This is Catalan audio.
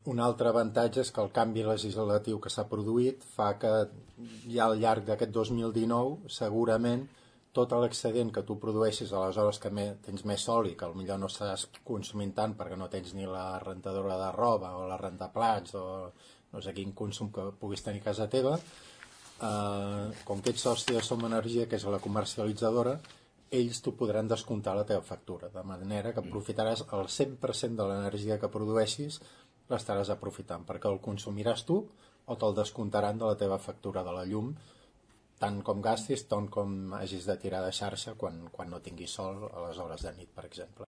Un altre avantatge és que el canvi legislatiu que s'ha produït fa que ja al llarg d'aquest 2019 segurament tot l'excedent que tu produeixis a les hores que tens més sol i que potser no estàs consumint tant perquè no tens ni la rentadora de roba o la rentaplats o no sé quin consum que puguis tenir a casa teva, com que ets soci de Som Energia, que és la comercialitzadora, ells t'ho podran descomptar a la teva factura, de manera que aprofitaràs el 100% de l'energia que produeixis, l'estaràs aprofitant, perquè el consumiràs tu o te'l descomptaran de la teva factura de la llum, tant com gastis, tant com hagis de tirar de xarxa quan no tinguis sol a les hores de nit, per exemple.